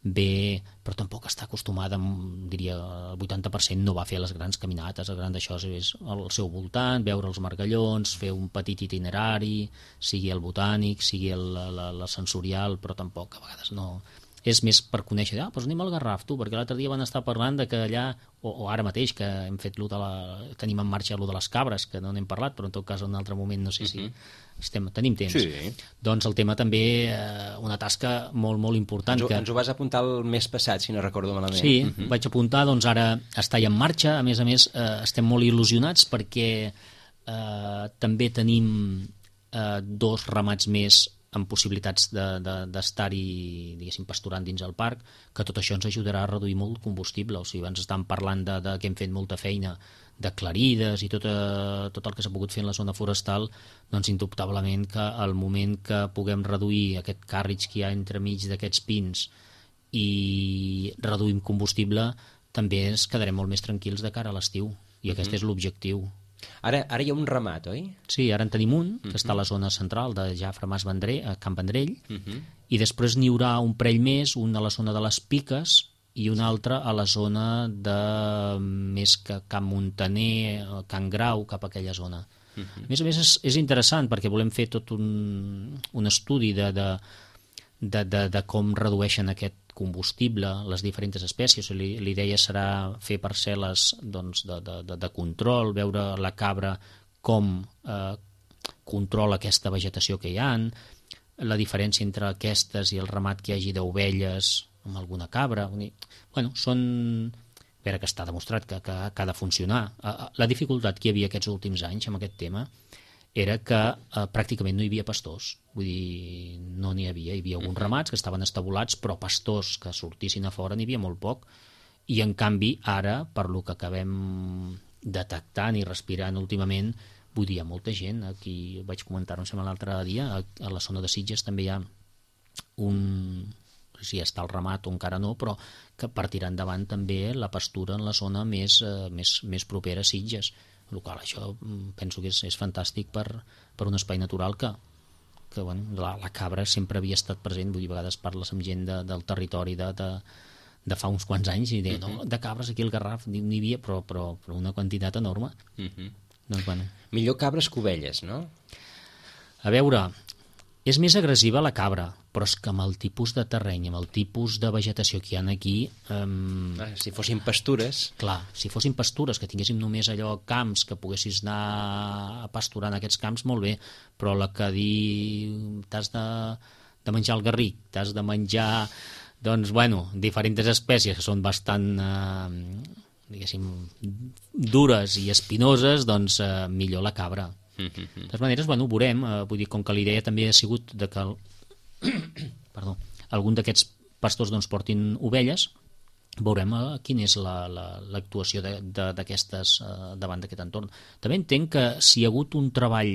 Speaker 3: ve, però tampoc està acostumada, diria el vuitanta per cent no va fer les grans caminates, el gran d'això és al seu voltant, veure els margallons, fer un petit itinerari, sigui el botànic, sigui el, la, la sensorial, però tampoc a vegades no... És més per conèixer, ah, doncs anem al Garraf, tu, perquè l'altre dia van estar parlant de que allà, o, o ara mateix, que hem fet lo de la, tenim en marxa lo de les cabres, que no n'hem parlat, però en tot cas en un altre moment no sé si uh-huh. estem, tenim temps.
Speaker 2: Sí.
Speaker 3: Doncs el tema també, eh, una tasca molt, molt important.
Speaker 2: Ens ho,
Speaker 3: que...
Speaker 2: ens ho vas apuntar el mes passat, si no recordo malament.
Speaker 3: Sí,
Speaker 2: uh-huh.
Speaker 3: vaig apuntar, doncs ara està ja en marxa, a més a més eh, estem molt il·lusionats perquè eh, també tenim eh, dos ramats més amb possibilitats d'estar-hi, de, diguéssim, pasturant dins el parc, que tot això ens ajudarà a reduir molt combustible. O sigui, abans estàvem parlant de, de que hem fet molta feina de clarides i tot, eh, tot el que s'ha pogut fer en la zona forestal, doncs indubtablement que al moment que puguem reduir aquest càrrec que hi ha entremig d'aquests pins i reduïm combustible, també ens quedarem molt més tranquils de cara a l'estiu, i aquest uh-huh. és l'objectiu.
Speaker 2: Ara, ara hi ha un ramat, oi?
Speaker 3: Sí, ara en tenim un, que uh-huh. està a la zona central de Jafre Mas Vendrell, a Camp Vendrell,
Speaker 2: uh-huh.
Speaker 3: i després n'hi haurà un parell més, un a la zona de les Piques i un altre a la zona de més que Camp Muntaner, Can Grau, cap a aquella zona. Uh-huh. A més a més és, és interessant perquè volem fer tot un, un estudi de, de, de, de, de com redueixen aquest combustible, les diferents espècies. L'idea serà fer parcel·les doncs, de, de, de control, veure la cabra com eh, controla aquesta vegetació que hi ha, la diferència entre aquestes i el ramat que hi hagi d'ovelles amb alguna cabra. Bueno, són... A veure, que està demostrat que, que, que ha de funcionar. La dificultat que hi havia aquests últims anys amb aquest tema era que eh, pràcticament no hi havia pastors. Vull dir, no n'hi havia. Hi havia alguns ramats que estaven estabulats, però pastors que sortissin a fora n'hi havia molt poc. I, en canvi, ara, per lo que acabem detectant i respirant últimament, vull dir, hi ha molta gent. Aquí vaig comentar-ho, em sembla, l'altre dia, a, a la zona de Sitges també hi ha un... si està el ramat o encara no, però que per tirar endavant també la pastura en la zona més, eh, més, més propera a Sitges. El qual això penso que és, és fantàstic per, per un espai natural que, que bueno, la, la cabra sempre havia estat present. Vull dir, a vegades parles amb gent de, del territori de, de, de fa uns quants anys i deia, no, de cabres aquí al Garraf n'hi havia, però, però, però una quantitat enorme. Uh-huh. Doncs, bueno.
Speaker 2: Millor cabres que ovelles, no?
Speaker 3: A veure, És més agressiva la cabra, però és que amb el tipus de terreny, amb el tipus de vegetació que hi ha aquí... Um...
Speaker 2: Ah, si fossin pastures...
Speaker 3: Clar, si fossin pastures, que tinguéssim només allò camps, que poguessis anar a pasturar en aquests camps, molt bé, però la que dir t'has de, de menjar el garric, t'has de menjar, doncs, bueno, diferents espècies que són bastant, eh, diguéssim, dures i espinoses, doncs eh, millor la cabra. De totes maneres, bueno, ho veurem, eh, vull dir, com que l'idea també ha sigut de que el... Perdó, algun d'aquests pastors doncs, portin ovelles, veurem eh, quina és l'actuació la, la, d'aquestes eh, davant d'aquest entorn. També entenc que si hi ha hagut un treball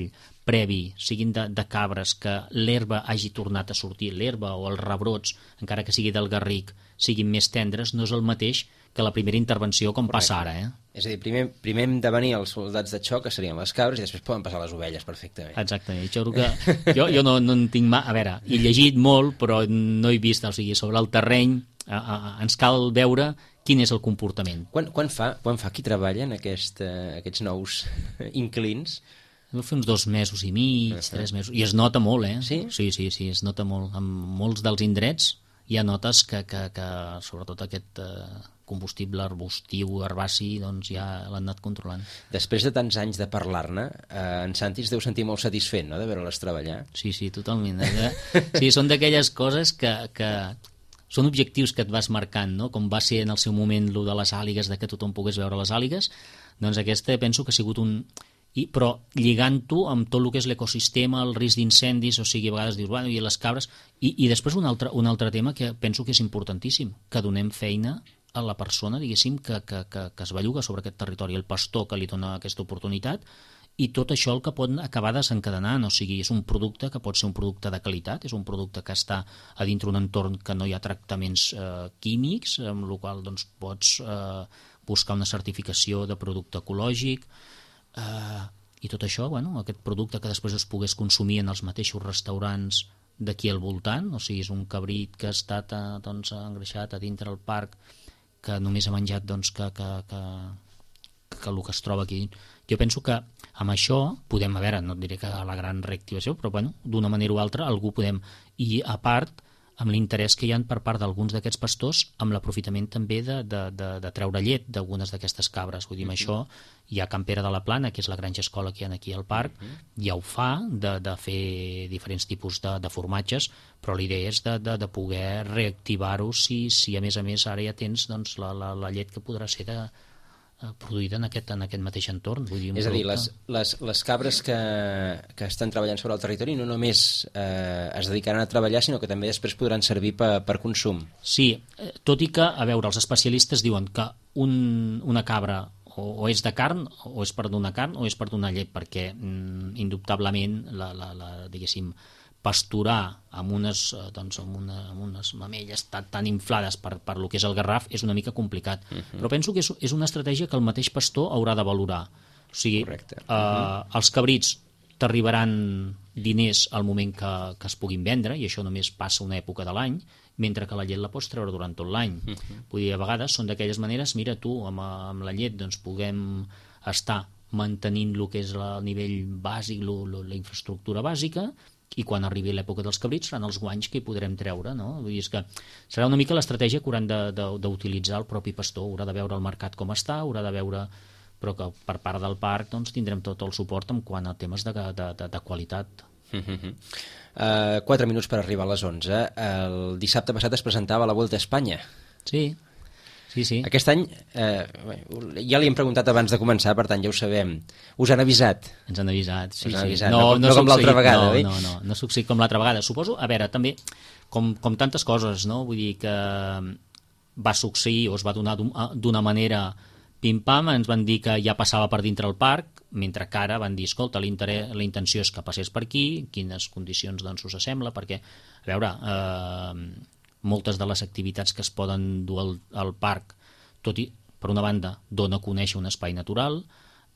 Speaker 3: previ, siguin de, de cabres, que l'herba hagi tornat a sortir, l'herba o els rebrots, encara que sigui del garric, siguin més tendres, no és el mateix que la primera intervenció com Correcte. Passa ara, eh?
Speaker 2: És a dir, primer, primer hem de venir els soldats de xoc, que serien les cabres, i després poden passar les ovelles perfectament.
Speaker 3: Exactament. Jo, que, jo, jo no, no en tinc mà... A veure, he llegit molt, però no he vist, o sigui, sobre el terreny, a, a, ens cal veure quin és el comportament.
Speaker 2: Quan, quan, fa, quan fa qui treballa en aquest, uh, aquests nous inclins?
Speaker 3: Deu fer uns dos mesos i mig, uh-huh. tres mesos, i es nota molt, eh?
Speaker 2: Sí?
Speaker 3: Sí, sí, sí, es nota molt. En molts dels indrets hi ha notes que, que, que sobretot aquest... Uh, combustible arbustiu, herbaci, doncs ja l'han anat controlant.
Speaker 2: Després de tants anys de parlar-ne, eh, en Santi es deu sentir molt satisfet, no?, de veure-les treballar.
Speaker 3: Sí, sí, totalment. Sí, són d'aquelles coses que, que són objectius que et vas marcant, no?, com va ser en el seu moment lo de les àligues, de que tothom pogués veure les àligues, doncs aquesta penso que ha sigut un... I, però lligant-ho amb tot el que és l'ecosistema, el risc d'incendis, o sigui, a vegades dius, bueno, i les cabres... I, i després un altre, un altre tema que penso que és importantíssim, que donem feina a la persona, diguéssim, que, que, que, que es belluga sobre aquest territori, el pastor que li dona aquesta oportunitat, i tot això el que pot acabar desencadenant, o sigui, és un producte que pot ser un producte de qualitat, és un producte que està a dintre un entorn que no hi ha tractaments eh, químics, amb el qual doncs, pots eh, buscar una certificació de producte ecològic, eh, i tot això, bueno, aquest producte que després es pogués consumir en els mateixos restaurants d'aquí al voltant, o sigui, és un cabrit que ha estat eh, doncs, engreixat a dintre el parc, que només ha menjat doncs, que, que, que, que el que es troba aquí. Jo penso que amb això podem, a veure, no et diré que la gran reactivació, però bueno, d'una manera o altra algú podem. I a part, amb l'interès que hi ha per part d'alguns d'aquests pastors, amb l'aprofitament també de, de, de, de treure llet d'algunes d'aquestes cabres. Vull dir, amb això hi ha Can Pere de la Plana, que és la granja escola que hi ha aquí al parc, ja ho fa, de, de fer diferents tipus de, de formatges, però la idea és de, de, de poder reactivar-ho si, si a més a més ara ja tens doncs, la, la, la llet que podrà ser de, produïda en aquest, en aquest mateix entorn. Vull dir,
Speaker 2: és a dir, les, les, les cabres que, que estan treballant sobre el territori no només eh, es dedicaran a treballar, sinó que també després podran servir per, per consum.
Speaker 3: Sí, tot i que, a veure, els especialistes diuen que un, una cabra o, o és de carn, o és per donar carn, o és per donar llet, perquè mm, indubtablement la, la, la, diguéssim, pasturar amb unes, doncs, amb una, amb unes mamelles tan, tan inflades per, per lo que és el garraf és una mica complicat. Uh -huh. Però penso que és, és una estratègia que el mateix pastor haurà de valorar. O sigui,
Speaker 2: Correcte.
Speaker 3: Uh -huh. eh, els cabrits t'arribaran diners al moment que, que es puguin vendre, i això només passa una època de l'any, mentre que la llet la pots treure durant tot l'any. Uh -huh. Vull dir, a vegades són d'aquelles maneres, mira tu, amb, amb la llet doncs, puguem estar mantenint el que és el nivell bàsic, lo, lo, la infraestructura bàsica, i quan arribi l'època dels cabrits seran els guanys que hi podrem treure, no? Vull dir, és que serà una mica l'estratègia que hauran d'utilitzar el propi pastor, haurà de veure el mercat com està, haurà de veure, però que per part del parc doncs, tindrem tot el suport en quant a temes de, de, de, de qualitat.
Speaker 2: Uh -huh. uh, quatre minuts per arribar a les onze. El dissabte passat es presentava la Vuelta a Espanya.
Speaker 3: Sí. Sí, sí.
Speaker 2: Aquest any, eh, ja li hem preguntat abans de començar, per tant ja ho sabem. Us han avisat?
Speaker 3: Ens han avisat, sí,
Speaker 2: Us han
Speaker 3: sí.
Speaker 2: avisat.
Speaker 3: No,
Speaker 2: no, no, no com l'altra vegada,
Speaker 3: no,
Speaker 2: oi?
Speaker 3: No, no, no succeït com l'altra vegada. Suposo, a veure, també, com, com tantes coses, no? Vull dir que va succeir o es va donar d'una manera pim-pam, ens van dir que ja passava per dintre el parc, mentre que ara van dir, escolta, la intenció és que passés per aquí, quines condicions doncs us sembla, perquè, a veure, eh, moltes de les activitats que es poden dur al, al parc, tot i, per una banda, dona a conèixer un espai natural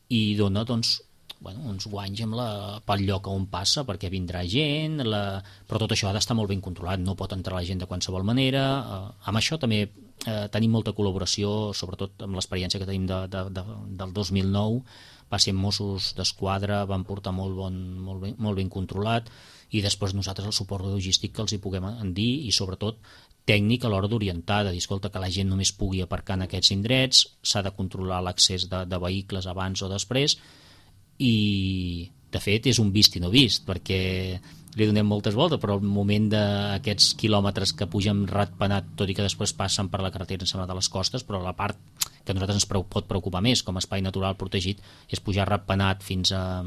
Speaker 3: i dona, doncs, bueno, uns guanys amb la, pel lloc on passa, perquè vindrà gent, la... però tot això ha d'estar molt ben controlat, no pot entrar la gent de qualsevol manera. Eh, amb això també eh, tenim molta col·laboració, sobretot amb l'experiència que tenim de, de, de, del dos mil nou, va ser Mossos d'Esquadra, van portar molt, bon, molt, ben, molt ben controlat, i després nosaltres el suport logístic que els hi puguem dir, i sobretot tècnic a l'hora d'orientar, de dir, escolta, que la gent només pugui aparcar en aquests indrets, s'ha de controlar l'accés de, de vehicles abans o després, i de fet és un vist i no vist, perquè li donem moltes voltes, però el moment d'aquests quilòmetres que pugen ratpenat, tot i que després passen per la carretera en sembla de les costes, però la part que a nosaltres ens pot preocupar més com a espai natural protegit és pujar ratpenat fins a,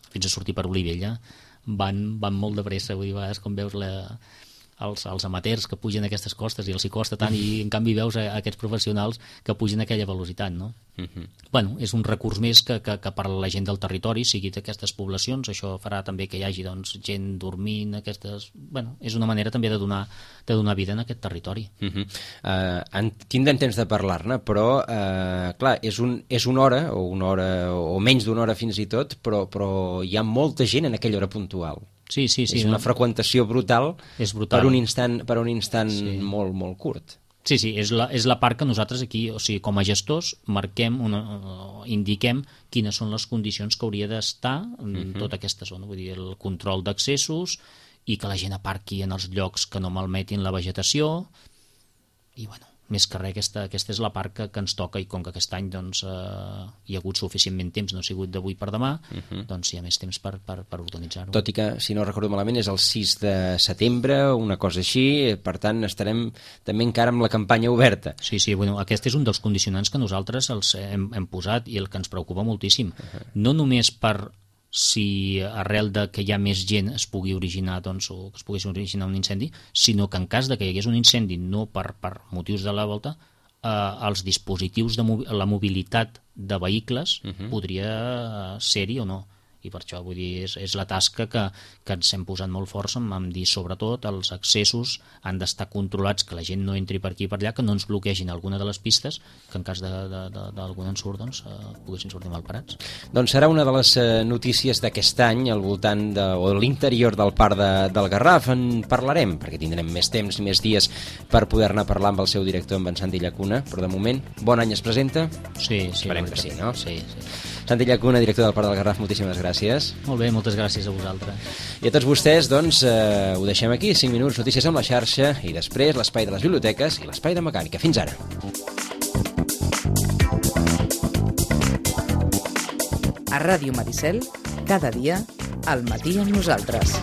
Speaker 3: fins a sortir per Olivella. Van, van molt de pressa, vull dir, a vegades com veus la, els, els amateurs que pugen aquestes costes i els hi costa tant, i en canvi veus a, a aquests professionals que pugen a aquella velocitat, no? Uh-huh. Bueno, és un recurs més que, que, que per la gent del territori, sigui d'aquestes poblacions, això farà també que hi hagi doncs, gent dormint, aquestes... Bueno, és una manera també de donar, de donar vida en aquest territori. Uh-huh.
Speaker 2: uh, en, tindrem temps de parlar-ne, però uh, clar, és, un, és una hora, o una hora, o menys d'una hora fins i tot, però, però hi ha molta gent en aquella hora puntual.
Speaker 3: Sí, sí, sí,
Speaker 2: és una
Speaker 3: no?
Speaker 2: freqüentació brutal,
Speaker 3: és brutal
Speaker 2: per un instant, per un instant sí. molt, molt curt.
Speaker 3: Sí, sí, és la, és la part que nosaltres aquí, o sigui, com a gestors, marquem, una, indiquem quines són les condicions que hauria d'estar en uh-huh. tota aquesta zona, vull dir, el control d'accessos i que la gent aparqui en els llocs que no malmetin la vegetació, i bueno, més que res, aquesta, aquesta és la part que, que ens toca, i com que aquest any doncs, eh, hi ha hagut suficientment temps, no ha sigut d'avui per demà, uh-huh. doncs hi ha més temps per, per, per organitzar-ho.
Speaker 2: Tot i que, si no recordo malament, és el sis de setembre, una cosa així, per tant estarem també encara amb la campanya oberta.
Speaker 3: Sí, sí, bueno, aquest és un dels condicionants que nosaltres els hem, hem posat i el que ens preocupa moltíssim. Uh-huh. No només per si arrel de que hi ha més gent es pugui originar, doncs, o que es pugui originar un incendi, sinó que en cas de que hi hagués un incendi no per, per motius de la volta, eh, els dispositius de mobi- la mobilitat de vehicles uh-huh. podria ser-hi o no. I per això, vull dir, és, és la tasca que, que ens hem posat molt forts en, en dir, sobretot, els accessos han d'estar controlats, que la gent no entri per aquí i per allà, que no ens bloquegin alguna de les pistes, que en cas d'algun ensurt, doncs, eh, poguessin sortir mal parats.
Speaker 2: Doncs serà una de les eh, notícies d'aquest any al voltant de, o de l'interior del Parc de, del Garraf. En parlarem, perquè tindrem més temps i més dies per poder-ne parlar amb el seu director, amb en Santi Llacuna, però de moment, bon any es presenta?
Speaker 3: Sí, sí.
Speaker 2: Esperem que sí, no?
Speaker 3: Sí, sí.
Speaker 2: Santi Llacuna, director del Parc del Garraf, moltíssimes gràcies.
Speaker 3: Molt bé, moltes gràcies a vosaltres.
Speaker 2: I a tots vostès, doncs, eh, ho deixem aquí, cinc minuts, notícies amb la xarxa, i després l'espai de les biblioteques i l'espai de mecànica. Fins ara.
Speaker 1: A Ràdio Maricel, cada dia, al matí amb nosaltres.